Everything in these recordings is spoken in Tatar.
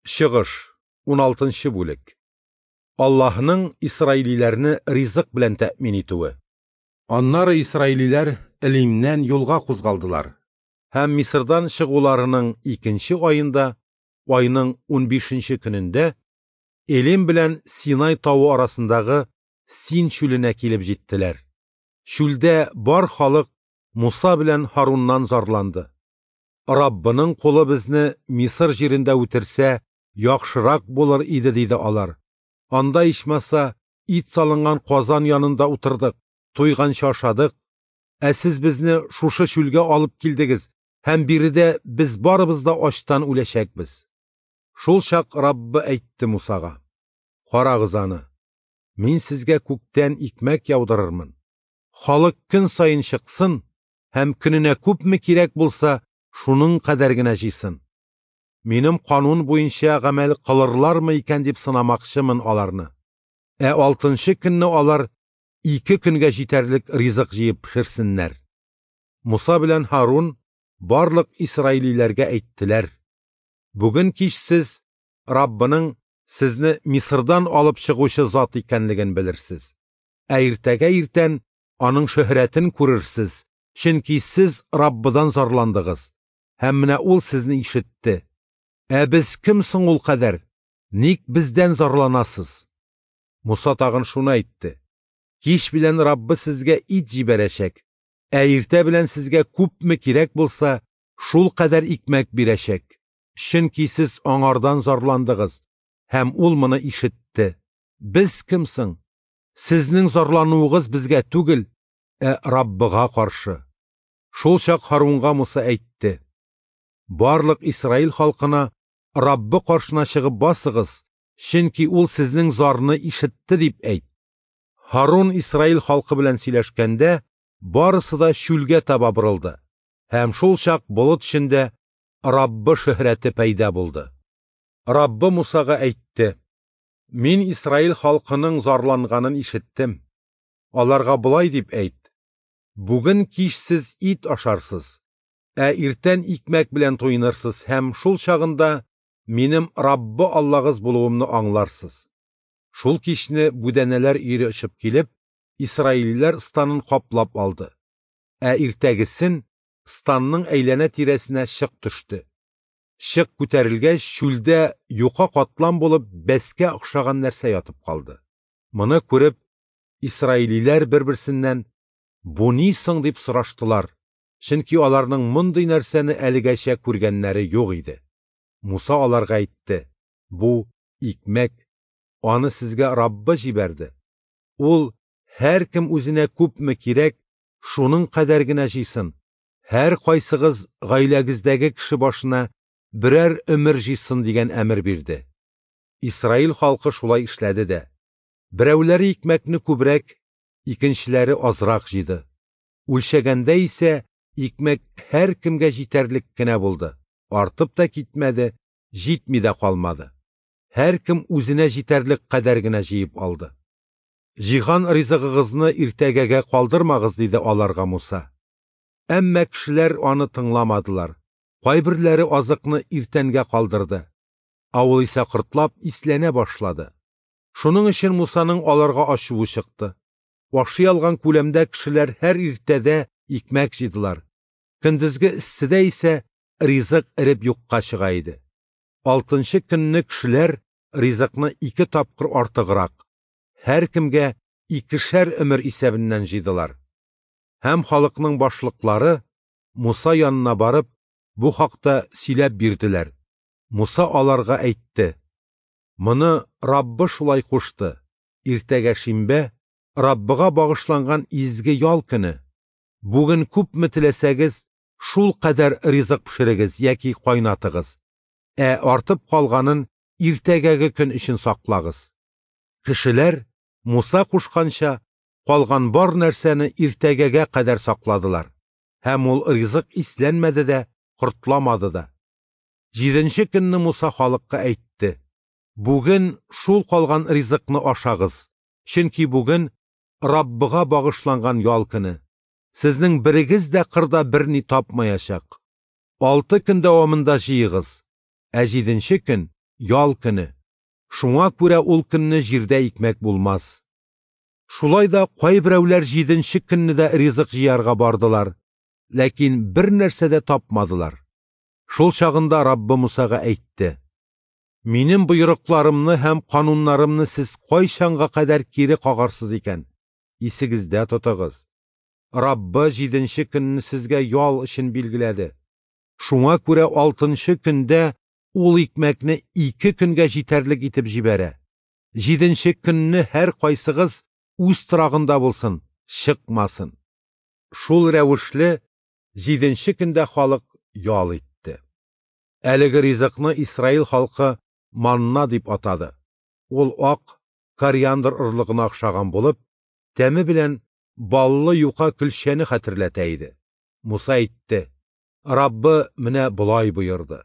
Чыгыш, 16 бүлек. Аллаһның исраилиләрне ризык белән тәэмин итүе. Аннары исраилиләр Элимнән юлга кузгалдылар һәм Мисырдан чыгуларының икенче аенда, айның 15нче көнендә, Элим белән Синай тавы арасындагы Син чүленә килеп җиттеләр. Чүлдә бар халык Муса белән Һаруннан зарланды. Раббының кулы безне Мисыр җирендә үтерсә, яхшырак булыр иде, диде алар. Анда ичмаса ит салынган казан янында утырдык, туйганчы ашадык. Ә сез безне шушы чүлгә алып килдегез һәм биредә без барыбыз да ачтан үләчәкбез. Шул чак Раббы әйтте Мусага: Карагыз аны, мин сезгә күктән икмәк яудырырмын. Халык көн саен чыксын һәм көненә күпме кирәк булса, шуның кадәр генә җыйсын. Минем канун буенча гамәл кылырлармы икән дип сынамакчымын аларны. Ә алтынчы көнне алар 2 көнгә җитәрлек ризык җыеп пешерсеннәр. Муса белән Һарун барлык исраилиләргә әйттеләр: Бүген кич сез Раббының сезне Мисырдан алып чыгучы зат икәнлеген белерсез. Ә иртәгә иртән аның шөһрәтен күрерсез, чөнки сез Раббыдан зарландыгыз, һәм менә ул сезне ишетте. Ә без кем соң ул кадәр? Ник бездән зарланасыз? Муса тагын шуны әйтте: Кич белән Раббы сезгә ит җибәрәчәк, ә иртә белән сезгә күпме кирәк булса, шул кадәр икмәк бирәчәк. Чөнки сез аңардан зарландыгыз, һәм ул моны ишетте. Без кем соң? Сезнең зарлануыгыз безгә түгел, ә Раббыга каршы. Шул чак Һарунга Муса әйтте: Барлык Исраил халкына Раббы каршына чыгып басыгыз, чөнки ул сезнең зарны ишетте, дип әйт. Һарун Исраил халкы белән сөйләшкәндә, барысы да чүлгә таба борылды, һәм шул чак болыт эчендә Раббы шөһрәте пәйда булды. Раббы Мусага әйтте: Мин Исраил халкының зарланганын ишеттем. Аларга болай дип әйт: Бүген кич сез ит ашарсыз, ә иртән икмәк белән туйнырсыз һәм шул чагында минем Раббы Аллагыз булуымны аңларсыз. Шул кичне бүдәнәләр өере очып килеп, исраилиләр станын каплап алды. Ә иртәгесен станның әйләнә тирәсенә чык төште. Чык күтәрелгәч, чүлдә юка катлам булып бәскә охшаган нәрсә ятып калды. Моны күреп, исраилиләр бер-берсеннән: Бу ни соң, дип сораштылар, чөнки аларның мондый нәрсәне әлегәчә күргәннәре юк иде. Муса аларга әйтте: Бу икмәк, аны сезгә Раббы җибәрде. Ул һәркем үзенә күпме кирәк, шуның кадәр генә җыйсын. Һәр кайсыгыз гаиләгездәге кеше башына берәр өмер җыйсын дигән әмер бирде. Исраил халкы шулай эшләде дә. Берәүләре икмәкне күбрәк, икенчеләре азрак җыйды. Үлчәгәндә исә икмәк һәркемгә җитәрлек кенә булды. Артып та китмәде, җитми дә калмады. Һәркем үзенә җитәрлек кадәр генә җыеп алды. Җыйган ризыгыгызны иртәгәгә калдырмагыз, диде аларга Муса. Әмма кешеләр аны тыңламадылар. Кайберләре азыкны иртәнгә калдырды. Ә ул исә кортлап исләнә башлады. Шуның өчен Мусаның аларга ачуы чыкты. Ашый алган күләмдә кешеләр һәр иртәдә икмәк җыйдылар. Көндезге эсседә исә ризык эреп юкка чыга иде. Алтынчы көнне кешеләр ризыкны 2 тапкыр артыграк, һәркемгә 2 өмер исәбеннән җыйдылар. Һәм халыкның башлыклары Муса янына барып, бу хакта сөйләп бирделәр. Муса аларга әйтте: Моны Раббы шулай кушты. Иртәгә шимбә, Раббыга багышланган изге ял көне. Бүген күпме теләсәгез, шул кадәр ризык пешерегез яки кайнатыгыз. Ә артып калганын иртәгәге көн өчен саклагыз. Кешеләр Муса кушканча калган бар нәрсәне иртәгәгә кадәр сакладылар. Һәм ул ризык исләнмәде дә, кортламады да. 7нче көнне Муса халыкка әйтте: Бүген шул калган ризыкны ашагыз, чөнки бүген Раббыга багышланган ял көне. Сезнең берегез дә кырда берни тапмаячак. 6 көн дәвамында җыегыз, ә 7нче көн ял көне. Шуңа күрә ул көнне җирдә икмәк булмас. Шулай да кайберәүләр җиденче көнне дә ризык җыярга бардылар, ләкин бер нәрсә дә тапмадылар. Шул чагында Раббы Мусага әйтте: Минем боерыкларымны һәм кануннарымны сез кайчанга кадәр кире кагарсыз икән? Исегездә тотыгыз. Раббы җиденче көнне сезгә ял өчен билгеләде. Шуңа күрә алтынчы көндә ул икмәкне 2 көнгә җитәрлек итеп җибәрә. Җиденче көнне һәр кайсыгыз үз торагында булсын, чыкмасын. Шул рәвешле җиденче көндә халык ял итте. Әлеге ризыкны Исраил халкы манна дип атады. Ул ак кориандр орлыгына охшаган булып, тәме белән баллы юка көлчәне хәтерләтә иде. Муса әйтте: Раббы менә болай боерды: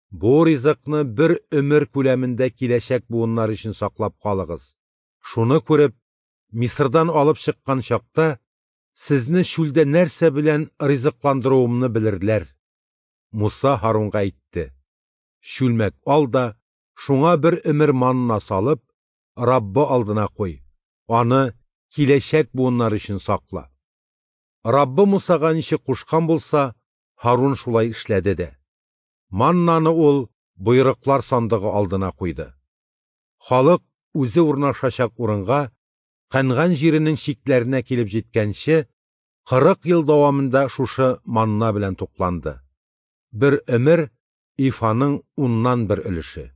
Бу ризыкны бер өмер күләмендә киләчәк буыннар өчен саклап калыгыз. Шуны күреп, Мисырдан алып чыккан чакта сезне чүлдә нәрсә белән ризыкландыруымны белерләр. Муса Һарунга әйтте: Чүлмәк ал да, шуңа бер өмер манна салып, Раббы алдына куй. Аны киләчәк буыннар өчен сакла. Раббы Мусага ничек кушкан булса, Һарун шулай эшләде дә. Маннаны ул боерыклар сандыгы алдына куйды. Халык үзе урнашачак урынга, Кәнган җиренең чикләренә килеп җиткәнче, 40 ел дәвамында шушы манна белән тукланды. Бер өмер ифаның 1/10 өлеше.